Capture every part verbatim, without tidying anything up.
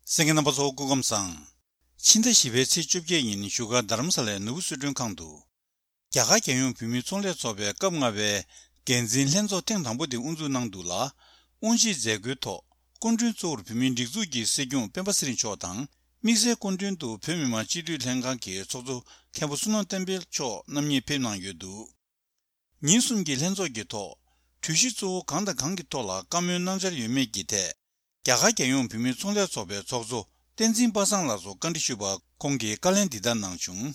གསན་མཁན་རྣམ་པ་ཚོ་སྐུ་ཁམས་བཟང་། ཕྱི་ཟླ་བཞི་པའི་ཚེས་བཅོ་བརྒྱད་ཉིན་བཞུགས་སྒར་རྡ་རམ་ས་ལའི་ནོར་བུ་གསོལ་མགྲོན་ཁང་དུ། རྒྱ་གར་རྒྱལ་ཡོངས་བོད་མིའི་ཚོང་ལས་ཚོགས་པའི་སྐབས་ལྔ་པའི་འགན་འཛིན་ལྷན་ཚོགས་ཐེངས་དང་པོ་དེ་དབུ་འཛུགས་གནང་འདུག་ལ། དབུ་འབྱེད་མཛད་སྒོའི་ཐོག་སྐུ་མགྲོན་གཙོ་བོར་བོད་མིའི་སྒྲིག་འཛུགས་ཀྱི་སྲིད་སྐྱོང་སྤེན་པ་ཚེ་རིང་མཆོག་དང་། དམིགས་བསལ་སྐུ་མགྲོན་དུ་བོད་མི་མང་སྤྱི་འཐུས་ལྷན་ཁང་གི་ཚོགས་གཙོ་མཁན་པོ་བསོད་ནམས་བསྟན་འཕེལ་མཆོག་རྣམ་གཉིས་ཕེབས་གནང་ཡོད་འདུག་ཉིན་གསུམ་གྱི་ལྷན་ཚོགས་ཀྱི་ཐོག་གྲོས་གཞི་གཙོ་བོ་གང་དང་གང་གི་ཐོག་ལ་བཀའ་མོལ་གནང་འཆར་ཡོད་མེད་ཀྱི་ཐད། རྒྱ་གར་རྒྱལ་ཡོངས་བོད་མིའི་ཚོང་ལས་ཚོགས་པའི་ཚོགས་གཙོ་བསྟན་འཛིན་པ་སངས་ལགས་སུ་བཀའ་འདྲི་ཞུས་པར་ཁོང་གིས་བཀའ་ལན་འདི་ལྟར་གནང་བྱུང་།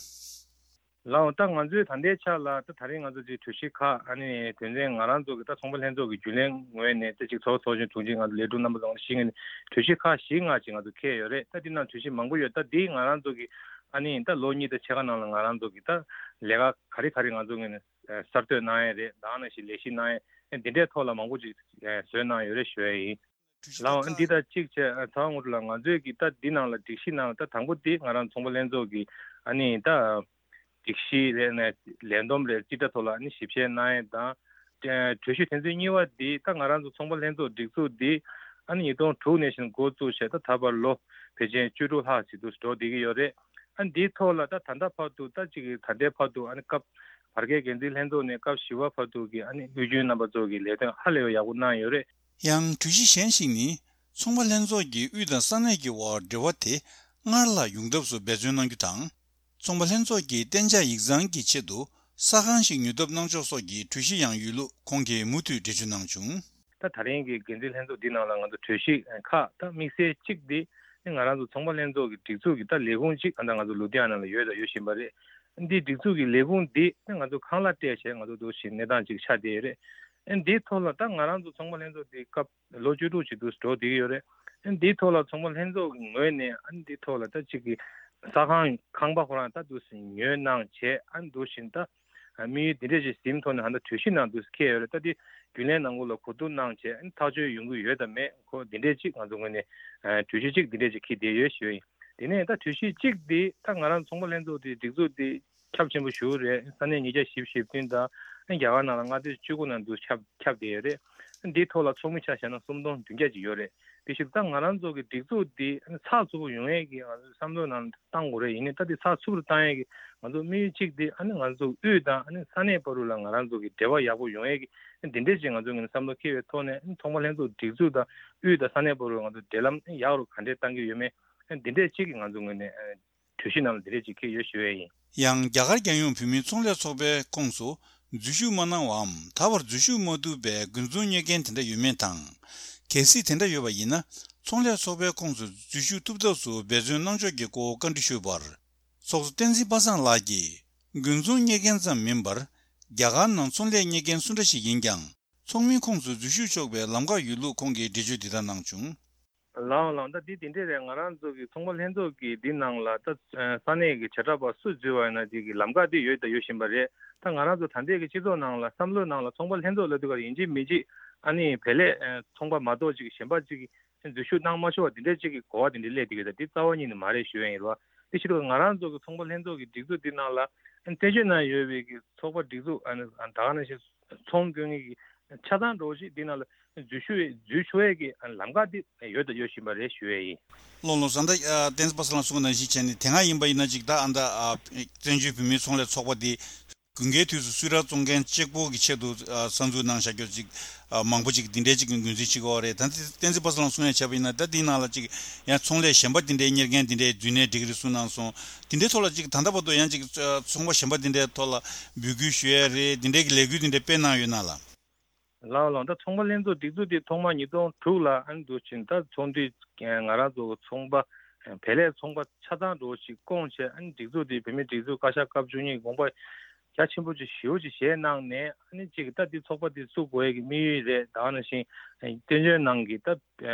ལགས་འོང་། ད་ང་ཚོའི་ད་ལྟའི་ཆ་ལ་ད་ད་རིང་ང་ཚོ་ཅིག་གྲོས་གཞི་ཁག་ཨ་ནི་དོན་ཚན་ང་རང་ཚོ་གི་ད་ཚོང་པ་ལྷན་ཚོགས་ཀྱི་རྒྱུན་ལས་ངོས་ནས་ད་ཅིག་ཚོགས་ཚོགས་ཆུང་དྲུང་ཆེ་ང་ཚོ་ལས་དྲུང་རྣམ་པ་ཚོ་ང་ཚོ་ཞིག་ངོས་ནས་གྲོས་གཞི་ཁག་བཞི་ལྔ་ཅིག་ང་ཚོ་འཁེལ་ཡོད་རེད། ད་འདི་ནང་གྲོས་གཞི་མང་པོ་ཡོད། ད་འདི་ང་རང་ཚོ་གི་ཨ་ནི་ད་ལོ་གཉིས་དང་ཕྱེད་ཀ་ནང་ལ་ང་རང་ཚོ་གི་ད་ལས་ཀ་ག་རེ་ག་རེ་ང་ཚོ་ངོས་ནས་གསར་གཏོད་གནང་ཡས་རེད། ད་ནང་བཞིན་ལས་གཞི་གནང་ཡས་འདི་འདྲའི་ཐོག་ལ་མང་པོ་ཅིག་བཟོས་གནང་ཡོད་རེད་ཞུ་ཡས་ཡིན། ལའང་འདི་དང་གཅིག་བྱས་ཚ་བ་ངོ་སྤྲོད་ལ་ང་ཚོས་ཀྱི་ད་འདི་ནང་ལ་སྒྲིག་གཞི་ནང་ལ་ད་དང་པོ་འདི་ང་རང་ཚོང་པ་ལྷན་ཚོགས་ཀྱི་ཨ་ནི་ད་སྒྲིག་གཞི་རེད་ནས་ལས་བསྡོམས་རེད་རྩིས་ཁྲ་ཐོག་ལ་ཨ་ནི་ཞིབ་བཤེར་གནང་ཡས་དང་། གྲོས་གཞི་དོན་ཚན་གཉིས་པ་འདི་ད་ང་རང་ཚོ་ཚོང་པ་ལྷན་ཚོགས་སྒྲིག་འཛུགས་འདི་ཨ་ནི་ཉིས་སྟོང་དྲུག་ནས་བཞིན་འགོ་བཙུགས་བྱས་ད་ད་བར་ལོ་ཕལ་ཆེར་བཅུ་དྲུག་ལྷག་ཅིག་ཏུ་འགྲོ་བསྡད་ཀྱི་ཡོད་རེད། ཨ་འདིའི་ཐོག་ལ་ད་ད་ལྟ་བར་དུ་ད་ཅིག་ད་ལྟའི་བར་དུ་ཨ་ནི་སྐབས་བར་བརྒལ་འགན་འཛིན་ལྷན་ཚོགས་ནས་སྐབས་བཞི་པ་བར་དུ་གི་ཨ་ནི་དབུས་རྒྱུན་རྣམ་པ་ཚོ་གི་ལས་དོན་ཧ་ལས་པ་ཡག་པོ་གནང་ཡོད་རེད། ཡང་གྲོས་གཞི་གཞན་ཞིག་ནི། ཚོང་པ་ལྷན་ཚོགས་ཀྱིས་དབུས་དང་ས་གནས་ཀྱི་དབར་འབྲེལ་བ་དེ་སྔར་ལྷག་ཡོང་ཐབས་སུ་འབད་བརྩོན་གནང་རྒྱུ་དང་། ཚོང་པ་ལྷན་ཚོགས་ཀྱི་གཏན་འཇགས་ཡིག་ཚང་གི་ཆེད་དུ་ས་ཁང་ཞིག་ཉོ་ཐབས་གནང་ཕྱོགས་སོགས་ཀྱི་གྲོས་གཞི་ཡང་ཡོད་ལུགས་ཁོང་གིས་མུ་མཐུད་འགྲེལ་བརྗོད་གནང་བྱུང་། ད་ད་རིང་གི་འགན་འཛིན་ལྷན་ཚོགས་འདི་ནང་ལ་ང་ཚོ་གྲོས་གཞི་ཁག་ད་དམིགས་བསལ་གཅིག་འདི་ནི་ང་རང་ཚོ་ཚོང་པ་ལྷན་ཚོགས་ཀྱི་སྒྲིག་འཛུགས་ཀྱི་ད་ལས་ཁུངས་གཅིག་ད་ང་ཚོ་ལུ་དྷི་ཡ་ན་ལ་ཡོད་དང་ཡོད་བཞིན་པ་རེད། འདི་སྒྲིག་འཛུགས་ཀྱི་ལས་ཁུངས་འདི་ནི་ང་ཚོ་ཁང་གླ་སྤྲད་བྱས་ང་ཚོ་འདུག་བཞིན་གནས་སྟངས་ཅིག་ཆགས་བསྡད་ཡོད་རེད། འདིའི་ཐོག་ལ་ད་ང་རང་ཚོ་ཚོང་པ་ལྷན་ཚོགས་འདི་སྐབས་ལོ་བཅུ་དྲུག་ཅིག་འདུག་འགྲོ་བསྡད་ཀྱི་ཡོད་རེད། འདིའི་ཐོག་ལ་ཚོང་པ་ལྷན་ཚོགས་ཀྱི་ངོས་ནས་ཨ་ནི་འདིའི་ཐོག་ལ་ད་གཅིག་གི་ས་ཁང་ཁང་པ་ཁོ་རང་ད་འདུག་སེ་ཉོས་གནང་བྱས་ཨ་ནི་འདུག་བཞིན་ད་དམིགས་ཡུལ་འདི་འདྲས་ཅིག་ཟིན་ཐོག་ནས་ཧ་ད་གྲོས་གཞི་ནང་འདུག་སེ་འཁེལ་ཡོད་རེད། ད་འདི་རྒྱུན་ལས་ནང་ཁུལ་ལ་གོ་བསྡུར་གནང་བྱས་ཨ་ནི་ཐག་གཅོད་ཡོང་གི་ཡོད་དམ་མེད་ཁོ་འདི་འདྲས་ཅིག་ང་ཚོ་ངོས་ནས་གྲོས་གཞི་གཅིག་འདི་འདྲས་ཅིག་འཁྱེར་བསྡད་ཡོད་ཞུ་ཡིན། དེ་ནས་ད་གྲོས་གཞི་གཅིག་འདི་ད་ང་རང་ཚོང་པ་ལྷན་ཚོགས་འདི་སྒྲིག་འཛུགས་འདི་ཁྱབ་ཆེན་པོ་ཞིག་རེད། ས་གནས་ཉིས་བརྒྱ་བཞི་བཅུ་ཞེ་བདུན་དང་རྒྱ་གར་ནང་ལ་ལྔ་སྟོང་བཅུ་དགུ་ནང་དུ་ཁྱབ་ཁྱབ་བསྡད་ཡོད་རེད། འདིའི་ཐོག་ལ་ཚོགས་མི་ཆ་བཞག་ན་སུམ་སྟོང་བདུན་བརྒྱ་ཅིག་ཡོད་རེད། དེ་བཞིན་ད་ང་རང་ཚོ་གི་སྒྲིག་འཛུགས་འདི་ཚགས་ཚུད་པོ་ཡོང་ཡས་ཀྱི་ང་ཚོའི་བསམ་བློའི་ནང་བཏང་དགོས་རེད། ཡིན་ནའི་ད་འདི་ཚགས་ཚུད་པོ་བཏང་ཡས་ཀྱི་ང་ཚོ་དམིགས་ཡུལ་གཅིག་འདི་ཨ་ནི་ང་ཚོ་དབུས་དང་ཨ་ནི་ས་གནས་བར་དུ་ལ་ང་རང་ཚོ་གི་འབྲེལ་བ་ཡག་པོ་ཡོང་ཡས་ཀྱི་འདི་འདྲས་ཅིག་ང་ཚོའི་ངོས་ནས་བསམ་བློ་འཁྱེར་བའི་ཐོག་ནས་ཨ་ནི་ཚོང་པ་ལྷན་ཚོགས་སྒྲིག་འཛུགས་དང་དབུས་དང་ས་གནས་བར་དུ་ང་ཚོ་འབྲེལ་ལམ་ཡག་རུ་ག་འདྲས་གཏང་གི་ཡོད་མེད་འདི་འདྲས་ཅིག་གི་ང་ཚོ་ངོས་ནས་གྲོས་གཞི་ནང་ལ་འདི་འདྲས་ཅིག་འཁྱེར་ཡོད་ཞུ་ཡས་ཡིན། ཡང་རྒྱ་གར་རྒྱལ་ཡོངས་བོད་མིའི་ཚོང་ལས་ཚོགས་པའི་ཁོངས་སུ་འཛུལ་ཞུགས་མ་གནང་བའམ་ད་བར་འཛུལ་ཞུགས་མ་ཐུབ་པའི་དགུན་ཚོང་གཉེར་མཁན་དེ་འདྲ་ཡོད་མེད་དང་། གལ་སྲིད་དེ་འདྲ་ཡོད་པ་ཡིན་ན་ཚོང་ལས་ཚོགས་པའི་ཁོངས་སུ་འཛུལ་ཞུགས་ཐུབ་ཐབས་སུ་འབད་བརྩོན་གནང་ཕྱོགས་ཀྱི་སྐོར་བཀའ་འདྲི་ཞུས་པར། ཚོགས་གཙོ་བསྟན་འཛིན་པ་སངས་ལགས་ཀྱིས་དགུན་ཚོང་གཉེར་མཁན་ཙམ་མིན་པར་རྒྱ་གར་ནང་ཚོང་ལས་གཉེར་མཁན་སུ་འདྲ་ཞིག་ཡིན་ཀྱང་། ཚོགས་མིའི་ཁོངས་སུ་འཛུལ་ཞུགས་ཆོག་པའི་ལམ་ཁ་ཡོད་ལུགས་ཁོང་གིས་འགྲེལ་བརྗོད་འདི་ལྟར་གནང་བྱུང་། ལའང་ལའང་ད་འདི་དེ་འདྲས་རེད། ང་རང་ཚོ་གི་ཚོང་པ་ལྷན་ཚོགས་ཀྱི་འདི་ནང་ལ་ད་ས་གནས་ཀྱི་བྱེ་བྲག་པ་སུ་འཛུལ་བ་ཡིན་ན་དེ་གི་ལམ་ཁ་དེ་ཡོད་ད་ཡོད་བཞིན་པ་རེད། ད་ང་རང་ཚོ་ད་ལྟའི་གི་སྤྱི་ཚོགས་ནང་ལ་བསམ་བློའི་ནང་ལ་ཚོང་པ་ལྷན་ཚོགས་ལབ་དུས་ཀར་ཡིན་གཅིག་མིན་གཅིག་ཨ་ནི་བལ་ལས་ཚོང་པ་མ་གཏོགས་ཅིག་གཞན་པ་ཅིག་གི་འཛུལ་ཞུགས་གནང་མ་ཆོག་པ་དེ་འདྲས་ཅིག་གི་གོ་བ་དེ་འདྲས་སླེབས་བསྡད་ཀྱི་རེད། ད་འདི་རྩ་བ་ཉིད་ནས་མ་རེད་ཞུ་ཡ་ཡིན་རོ། དེ་ཕྱིར་ང་རང་ཚོ་གི་ཚོང་པ་ལྷན་ཚོགས་ཀྱི་སྒྲིག་འཛུགས་འདི་ནང་ལ་བཙན་བྱོལ་ནང་ཡོད་པའི་གི་ཚོགས་པ་སྒྲིག་འཛུགས་ཨ་ནི་ད་ག་ནང་བཞིན་ཚོང་སྐྱོན་གྱི་ཆ་ཚང་འདྲ་བོ་ཞིག་འདི་ནང་ལ་འཛུལ་ཞུགས་འཛུལ་ཆོག་ཡས་ཀྱི་ལམ་ཁ་འདི་ཡོད་དང་ཡོད་བཞིན་པ་རེད་ཞུ་ཡས་ཡིན། ལོ་ལོ་ཟ་འདྲ་བསྟན་འཛིན་པ་སངས་ལགས་གསུངས་པ་ནང་བཞིན་བྱས་ནས་དེ་སྔ་ཡིན་པ་ཡིན་ན་ཅིག་ད་ཨ་ད་བཙན་བྱོལ་བོད་མིའི་ཚོང་ལས་ཚོགས་པ་འདི་དགུན་ཁའི་དུས་སུ་གསུང་རབ་གཙང་མཁན་གཅིག་པོ་གི་ཆེད་དུ་གསར་འཛུགས་གནང་བཞག་རྒྱུ་ཅིག་མང་པོ་ཅིག་འདི་འདྲའི་ཅིག་ངོས་འཛིན་བྱེད་ཀྱི་ཡོད་རེད། ད་བསྟན་འཛིན་པ་སངས་ལགས་གསུང་ཡ་བྱས་པ་ཡིན་ན་ད་འདི་ནང་ལ་ཅིག་ཡང་ཚོང་ལས་གཞན་པ་འདི་འདྲའི་གཉེར་མཁན་འདི་འདྲའི་འཛུལ་ནའི་འགྲིག་གི་རེད་གསུངས་གནང་སོང་། འདི་འདྲའི་ཐོག་ལ་ཅིག་ད་ལྟ་བར་དུ་ཡང་ཅིག་ཚོང་པ་གཞན་པ་འདི་འདྲའི་ཐོག་ལ་འབོད་སྐུལ་ཞུ་ཡ་རེད། འདི་འདྲའི་གི་ལས་འགུལ་འདི་འདྲའི་སྤེལ་གནང་ཡོད་ན་ལ། ལའོ་ལའོ། ད་ཚོང་པ་ལྷན་ཚོགས་སྒྲིག་འཛུགས་འདི་ཐོག་མ་ཉིས་སྟོང་དྲུག་ལ་ཨ་ནི་འདུག་ཕྱིན་ད་ཚོང་འདུས་ང་རང་ཚོ་ཚོང་པ་བལ་ལས་ཚོང་པ་ཆ་ཚང་འགྲོ་ཞིག་བསྐོངས་བྱས་ཨ་ནི་སྒྲིག་འཛུགས་འདི་བོད་མིའི་སྒྲིག་འཛུགས་བཀའ་ཤག་སྐབས་བཅུ་གཉིས་དགོངས་པ་རྒྱ་ཆེན་པོ་ཅིག་ཞེ་པོ་ཅིག་བཞེས་གནང་ནས་ཨ་ནི་གཅིག་ད་འདི་ཚོགས་པ་འདི་བཙུགས་དགོས་ཡས་ཀྱི་དམིགས་ཡུལ་རེད། ད་ག་ནང་བཞིན་བཙན་བྱོལ་ནང་གི་ད་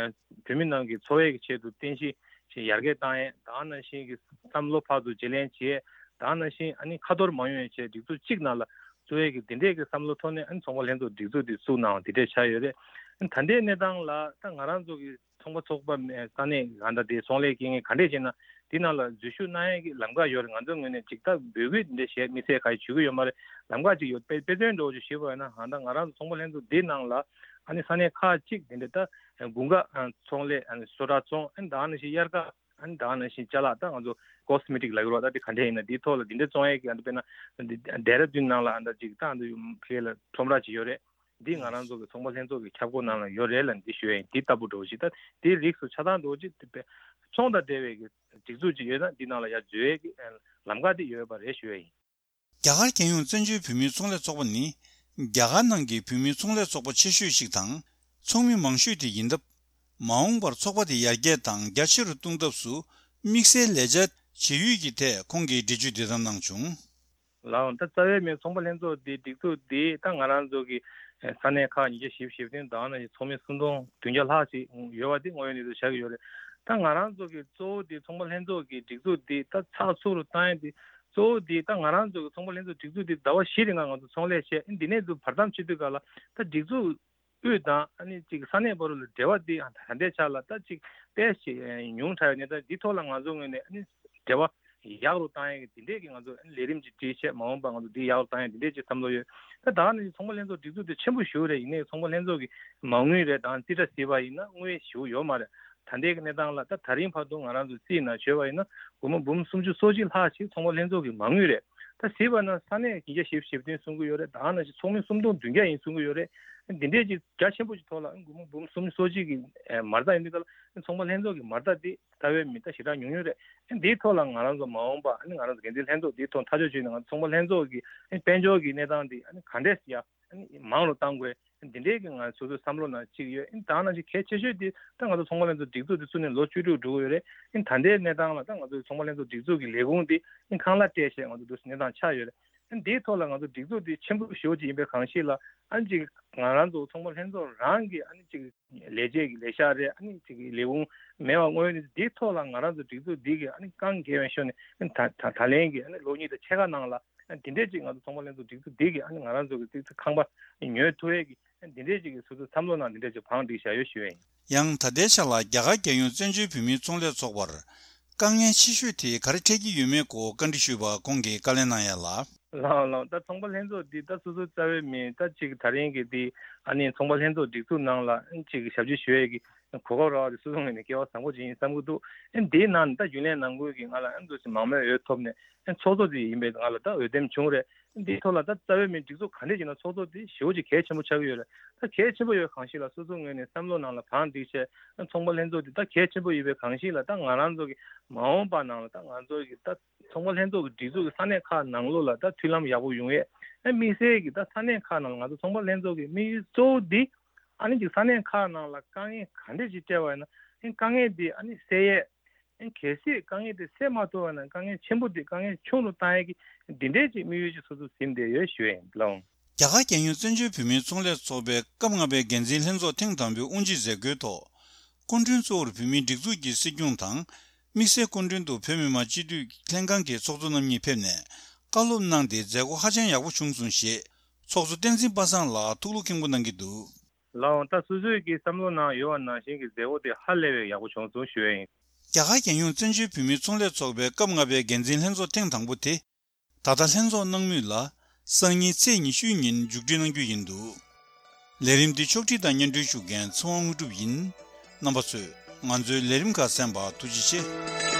བོད་མི་ནང་གི་འཚོ་བའི་གི་ཆེད་དུ་རྟེན་གཞི་ཞིག་ཡར་རྒྱས་བཏང་ཡས། ད་ག་ནང་བཞིན་གྱི་བསམ་བློ་ཕར་ཚུར་བརྗེ་ལེན་བྱེད་ཡས། ད་ག་ནང་བཞིན་ཨ་ནི་ཁ་ཐོར་མ་ཡོང་ཡས་བྱས་སྒྲིག་འཛུགས་གཅིག་ནང་ལ་བཙུགས་ཡས་ཀྱི་འདི་འདྲས་ཀྱི་བསམ་བློ་ཐོག་ནས་ཨ་ནི་ཚོང་པ་ལྷན་ཚོགས་སྒྲིག་འཛུགས་འདི་བཙུགས་གནང་བ་འདི་འདྲས་ཆགས་ཡོད་རེད། ཨ་ནི་ད་ལྟའི་གནས་སྟངས་ལ་ད་ང་རང་ཚོ་གི་ཚོང་པ་ཚོགས་པ་མེད་ས་གནས་གང་ལྟར་དེ་ཚོང་ལས་སྐྱེལ་མཁན་ག་འདྲས་བྱས་ན་འདི་ནང་ལ་འཛུལ་ཞུགས་གནང་ཡས་ཀྱི་ལམ་ཁ་ཡོད་རེད། ང་ཚོའི་ངོས་ནས་ཅིག་ད་འབོད་སྐུལ་འདི་འདྲས་བྱས་མི་ཚེ་ག་ཡི་བྱེད་ཀྱི་ཡོད་མ་རེད། ལམ་ཁ་ཅིག་ཡོད་དཔེ་དཔེ་མཚོན་འདྲ་བོ་ཅིག་ཞུས་པ་ཡིན་ན་ཨ་ད་ང་རང་ཚོ་ཚོང་པ་ལྷན་ཚོགས་འདི་ནང་ལ་ ཨ་ནི་ས་གནས་ཁག་ཅིག་དེ་འདྲ་ད་དགུན་ཁ་ཚོང་ལས་ཨ་ནི་བཟོ་གྲྭ་བཙོང་ཨ་ནི་ད་ནང་བཞིན་དབྱར་ཁ་ཨ་ནི་ད་ནང་བཞིན་ཅ་ལག་ད་ང་ཚོ་ཀོ་སི་མེ་ཊིག་ལབ་ཀྱི་རེད་བ། ད་དེ་ག་འདྲ་ཡིན་ན་དེའི་ཐོག་ལ་དེ་འདྲ་བཙོང་ཡས་ཀྱི་ཨ་ནི་དཔེར་ན་ཌེ་ར་ཌུན་ནང་ལ་ཨ་ད་ཅིག་ད་ཨ་ད་ཕ་གི་ལ་ཁྲོམ་ར་ཅིག་ཡོད་རེད། འདི་ང་རང་ཚོ་གི་ཚོང་པ་ལྷན་ཚོགས་ཀྱི་ཁྱབ་ཁོངས་ནང་ལ་ཡོད་རེད་ལ་འདི་ཞུ་ཡ་ཡིན། འདི་ལྟ་བུ་འདྲ་བོ་ཞིག་ད་དེའི་རིགས་སུ་ཆ་ཚང་འདྲ་བོ་ཅིག་དེ་ཚོང་དང་འབྲེལ་བའི་གི་སྒྲིག་འཛུགས་ཅིག་ཡོད་ན་འདི་ནང་ལ་ཡར་འཛུལ་ཡས་ཀྱི་ལམ་ཁ་དེ་ཡོད་པ་རེད་ཞུ་ཡ་ཡིན། རྒྱ་གར་རྒྱལ་ཡོངས་བཙན་བྱོལ་བོད་མིའི་ཚོང་ལས་ཚོགས་པ་ནི་རྒྱ་གར་ནང་གི་བོད་མིའི་ཚོང་ལས་ཚོགས་པ་ཆེ་ཤོས་ཤིག་དང་ཚོགས་མི་མང་ཤོས་དེ་ཡིན་སྟབས། མ་འོངས་པར་ཚོགས་པ་དེ་ཡར་རྒྱས་དང་རྒྱ་ཆེ་རུ་གཏོང་ཐབས་སུ་དམིགས་བསལ་ལས་འཆར་བྱེད་ཡུལ་གྱི་ཐད་ཁོང་གིས་འགྲེལ་བརྗོད་འདི་ལྟར་གནང་བྱུང་། ལགས་འོང་། ད་རྩ་བའི་མིང་ཚོང་པ་ལྷན་ཚོགས་འདི་སྒྲིག་འཛུགས་འདི་ད་ང་རང་ཚོ་གི་ས་གནས་ཁག་ཉིས་བརྒྱ་བཞི་བཅུ་ཞེ་བདུན་དང་ནང་བཞིན་ཚོགས་མི་སུམ་སྟོང་བདུན་བརྒྱ་ལྷག་ཅིག་ཡོད་པ་འདི་དངོས་ཡོད་གནས་ཚུལ་ཆགས་ཀྱི་ཡོད་རེད། ད་ང་རང་ཚོ་གི་གཙོ་བོ་འདི་ཚོང་པ་ལྷན་ཚོགས་ཀྱི་སྒྲིག་འཛུགས་འདི་ད་ཚགས་ཚུད་རུ་བཏང་ཡས་འདི་གཙོ་བོ་འདི་ད་ང་རང་ཚོ་གི་ཚོང་པ་ལྷན་ཚོགས་སྒྲིག་འཛུགས་འདི་ཟླ་བ་བཞི་རིང་ང་ང་ཚོ་ཚོང་ལས་བྱས། འདི་ནས་འདུག་བར་མཚམས་ཆད་དུས་ག་ལ་ད་སྒྲིག་འཛུགས་དབུས་དང་ཨ་ནི་ཅིག་ས་གནས་བར་ལ་འབྲེལ་བ་འདི་ད་ལྟའི་ཆ་ལ་ད་ཅིག་དཔེ་ཞིག་ཉུང་དྲགས་ཡོད་ནས། ད་འདི་ཐོག་ལ་ང་ཚོ་ངོས་ནས་ཨ་ནི་འབྲེལ་བ་ཡག་རུ་བཏང་ཡས་ཀྱི་འདི་འདྲས་ཀྱི་ང་ཚོ་ལས་རིམ་ཅིག་སྒྲིག་བྱས། མ་འོངས་པ་ང་ཚོ་འདི་ཡག་རུ་བཏང་ཡས་འདི་འདྲས་ཅིག་བསམ་བློ་ཡོད། ད་ད་ནི་ཚོང་པ་ལྷན་ཚོགས་སྒྲིག་འཛུགས་དེ་ཆེན་པོ་ཞེ་པོ་རེད། ཡིན་ནའི་ཚོང་པ་ལྷན་ཚོགས་ཀྱི་མ་དངུལ་རེད་དང་རྩིས་ཁྲ་གཟིགས་པ་ཡིན་ན་དངུལ་ཞེ་པོ་ཡོད་མ་རེད། ད་ལྟའི་གནས་སྟངས་ལ་ད་ད་རིང་བར་དུ་ང་རང་ཚོ་རྩིས་ནང་བྱས་པ་ཡིན་ན་སྒོར་མོ་འབུམ་སུམ་ཅུ་སོ་གཅིག་ལྷག་ཅིག་ཚོང་པ་ལྷན་ཚོགས་ཀྱི་མ་དངུལ་རེད། ད་གཟིགས་པ་ན་ས་གནས་ཉིས་བརྒྱ་བཞི་བཅུ་ཞེ་བདུན་གསུང་གི་ཡོད་རེད། ད་ནང་བཞིན་ཚོགས་མི་སུམ་སྟོང་བདུན་བརྒྱ་ཡིན་གསུང་གི་ཡོད་རེད། འདི་འདྲས་ཅིག་རྒྱ་ཆེན་པོ་ཅིག་ཐོག་ལ་སྒོར་མོ་འབུམ་སུམ་ཅུ་སོ་གཅིག་གི་མ་རྩ་ཡིན་དུས་ག་ལ་ཚོང་པ་ལྷན་ཚོགས་ཀྱི་མ་རྩ་འདི་རྩ་བའི་མི་ད་ཞེ་དྲག་ཉུང་ཉུང་རེད། འདིའི་ཐོག་ལ་ང་རང་ཚོ་མ་འོངས་པ་ཨ་ནི་ང་རང་ཚོ་འགན་འཛིན་ལྷན་ཚོགས་འདིའི་ཐོག་ཐག་གཅོད་བྱས་ནས་ང་ཚོ་ཚོང་པ་ལྷན་ཚོགས་ཀྱི་དཔལ་འབྱོར་གྱི་གནས་སྟངས་འདི་ཨ་ནི་ག་འདྲས་ཡ་ཨ་ནི་མང་རུ་གཏང་དགོས། འདི་འདྲའི་གི་ང་སོ་སོའི་བསམ་བློ་ནང་གཅིག་ཡོད། ཨ་ནི་ད་ནང་བཞིན་གལ་ཆེ་ཤོས་འདི་ད་ང་ཚོ་ཚོང་པ་ལྷན་ཚོགས་སྒྲིག་འཛུགས་འདི་བཙུགས་ནས་ལོ་བཅུ་དྲུག་འགྲོ་གི་ཡོད་རེད། ཨ་ནི་ད་ལྟའི་གནས་སྟངས་ལ་ད་ང་ཚོའི་ཚོང་པ་ལྷན་ཚོགས་སྒྲིག་འཛུགས་ཀྱི་ལས་ཁུངས་འདི་ཨ་ནི་ཁང་གླ་སྤྲད་བྱས་ང་ཚོ་འདུག་སེ་གནས་སྟངས་ཆགས་ཡོད་རེད། ཨ་ནི་འདིའི་ཐོག་ལ་ང་ཚོ་སྒྲིག་འཛུགས་འདི་ཆེན་པོ་ཞེ་པོ་ཅིག་ཡིན་པའི་གང་ཞིག་ལ་ཨ་ནི་ཅིག་ང་རང་ཚོ་ཚོང་པ་ལྷན་ཚོགས་རང་གི་ཨ་ནི་ཅིག་ལས་བྱེད་ཀྱི་ལས་ཤག་རེད། ཨ་ནི་ཅིག་ལས་ཁུངས་མེད་པ་དངོས་ཡོད་འདིའི་ཐོག་ལ་ང་རང་ཚོ་སྒྲིག་འཛུགས་འདི་གི་ཨ་ནི་རྐང་འགན་བའི་ཤོག་ནས་ཨ་ནི་ད་ད་ད་ལན་གྱི་ཨ་ནི་ལོ་གཉིས་དང་ཕྱེད་ཀ་ནང་ལ་ཨ་ནི་འདི་འདྲས་ཅིག་ང་ཚོ་ཚོང་པ་ལྷན་ཚོགས་སྒྲིག་འཛུགས་འདི་གི་ཨ་ནི་ང་རང་ཚོ་གི་ཏིག་ཏིག་ཁང་པ་ཉོ་ཐུབ་ཡས་ཀྱི་ཨ་ནི་འདི་འདྲས་ཅིག་གི་སོ་སོའི་བསམ་བློ་ནང་འདི་འདྲས་ཅིག་བང་བསྒྲིགས་བཞག་ཡོད་ཞུ་ཡ་ཡིན། ཡང་ད་ལྟའི་ཆ་ལ་རྒྱ་གར་རྒྱལ་ཡོངས་བཙན་བྱོལ་བོད་མིའི་ཚོང་ལས་ཚོགས་པར་དཀའ་ངལ་ཆེ་ཤོས་དེ་ག་རེ་འཕྲད་ཀྱི་ཡོད་མེད་སྐོར་བཀའ་འདྲི་ཞུས་པར་ཁོང་གིས་བཀའ་ལན་གནང་ཡ་ལ། ལགས་ལགས། ད་ཚོང་པ་ལྷན་ཚོགས་འདི་ད་སོ་སོའི་རྩ་བའི་མི་ད་ཅིག་ད་རིང་གི་འདི་ཨ་ནི་ཚོང་པ་ལྷན་ཚོགས་སྒྲིག་འཛུགས་ནང་ལ་ཨ་ནི་ཅིག་ཞབས་ཕྱི་ཞུ་ཡས་ཀྱི་གོ་སྐབས་རག་པ་དེ་སོ་སོ་ངོས་ནས་སྐལ་བ་བཟང་པོ་ཅིག་ཡིན་བསམ་གྱི་འདུག་ཨ་ནི་འདིའི་ནང་ནས་ད་རྒྱུན་ལས་ནང་ཁུལ་གྱི་ང་ལ་ཨ་ནི་འདུག་སེ་མང་མོས་འོས་ཐོབ་ནས་ཨ་ནི་ཚོགས་གཙོ་དེ་ཡིན་པའི་ང་ལ་ད་འོས་འདེམས་བྱུང་རེད། འདིའི་ཐོག་ལ་ད་རྩ་བའི་མི་སྒྲིག་འཛུགས་ག་འདྲས་ཡིན་ན་ཚོགས་གཙོ་དེ་ཞེ་པོ་ཅིག་གལ་ཆེན་པོ་ཆགས་ཀྱི་ཡོད་རེད། ད་གལ་ཆེན་པོ་ཡོད་གང་ཞིག་ལ་སོ་སོ་ངོས་ནས་བསམ་བློ་ནང་ལ་བང་བསྒྲིགས་བྱས་ཨ་ནི་ཚོང་པ་ལྷན་ཚོགས་དེ་ད་གལ་ཆེན་པོ་ཡིན་པའི་གང་ཞིག་ལ་ད་ང་རང་ཚོ་གི་མ་འོངས་པ་ནང་ལ་ད་ང་ཚོ་གི་ད་ཚོང་པ་ལྷན་ཚོགས་ཀྱི་སྒྲིག་འཛུགས་ཀྱི་ས་གནས་ཁག་ནང་ལོགས་ལ་ད་མཐུན་ལམ་ཡག་པོ་ཡོང་ཡས། ཨ་དམིགས་བསལ་གྱི་ད་ས་གནས་ཁག་ནང་ལ་ང་ཚོ་ཚོང་པ་ལྷན་ཚོགས་ཀྱི་དམིགས་ཡུལ་གཙོ་བོ་འདི་ཨ་ནི་ཅིག་ས་གནས་ཁག་ནང་ལ་དཀའ་ངལ་ག་འདྲས་ཅིག་སྤྲད་པ་ཡིན་ན་ཨ་ནི་དཀའ་ངལ་འདི་ཨ་ནི་སེལ་ཡས། ཨ་ནི་གལ་སྲིད་དཀའ་ངལ་འདི་སེལ་མ་ཐུབ་པ་ཡིན་ན་དཀའ་ངལ་ཆེན་པོ་འདི་དཀའ་ངལ་ཆུང་རུ་བཏང་ཡས་ཀྱི་འདི་འདྲས་ཅིག་དམིགས་ཡུལ་ཅིག་སོ་སོ་ཟིན་བསྡད་ཡོད་ཞུ་ཡས་ཡིན་ལགས། རྒྱ་གར་རྒྱལ་ཡོངས་བཙན་བྱོལ་བོད་མིའི་ཚོང་ལས་ཚོགས་པའི་སྐབས་ལྔ་པའི་འགན་འཛིན་ལྷན་ཚོགས་ཐེངས་དང་པོའི་དབུ་འབྱེད་མཛད་སྒོའི་ཐོག་སྐུ་མགྲོན་གཙོ་བོར་བོད་མིའི་སྒྲིག་འཛུགས་ཀྱི་སྲིད་སྐྱོང་དང་། དམིགས་བསལ་སྐུ་མགྲོན་དུ་བོད་མི་མང་སྤྱི་འཐུས་ལྷན་ཁང་གི་ཚོགས་གཙོ་རྣམ་གཉིས་ཕེབས་ནས་བཀའ་སློབ་གནང་སྟེ་མཛད་སྒོ་ཧ་ཅང་ཡག་པོ་བྱུང་སོང་ཞེས་ཚོགས་གཙོ་བསྟན་འཛིན་པ་སངས་ལགས་ཐུགས་ལུགས་མཁྱེན་པོ་གནང་གི་འདུག་ལགས་འོང་། ད་སོ་སོས་ཀྱི་བསམ་བློ་ནང་ཡོད་པ་ནང་བཞིན་གྱི་མཛད་སྒོ་དེ་ཧ་ལས་པའི་ཡག་པོ་བྱུང་སོང་ཞུ་ཡ་ཡིན། རྒྱ་གར་རྒྱལ་ཡོངས་བཙན་བྱོལ་བོད་མིའི་ཚོང་ལས་ཚོགས་པའི་སྐབས་ལྔ་པའི་འགན་འཛིན་ལྷན་ཚོགས་ཐེངས་དང་པོ་དེ། ད་ལྟ་ལྷན་ཚོགས་གནང་མུས་ལ་སང་ཉིན་ཚེས་ཉི་ཤུའི་ཉིན་མཇུག་སྒྲིལ་གནང་རྒྱུ་ཡིན་འདུག་ལས་རིམ་འདི་ཕྱོགས་སྒྲིག་དང་སྙན་སྒྲོན་ཞུ་མཁན་ཚེ་དབང་དངོས་གྲུབ་ཡིན། རྣམ་པ་ཚོས་ང་ཚོའི་ལས་རིམ་ཁག་གསན་པར་ཐུགས་རྗེ་ཆེ།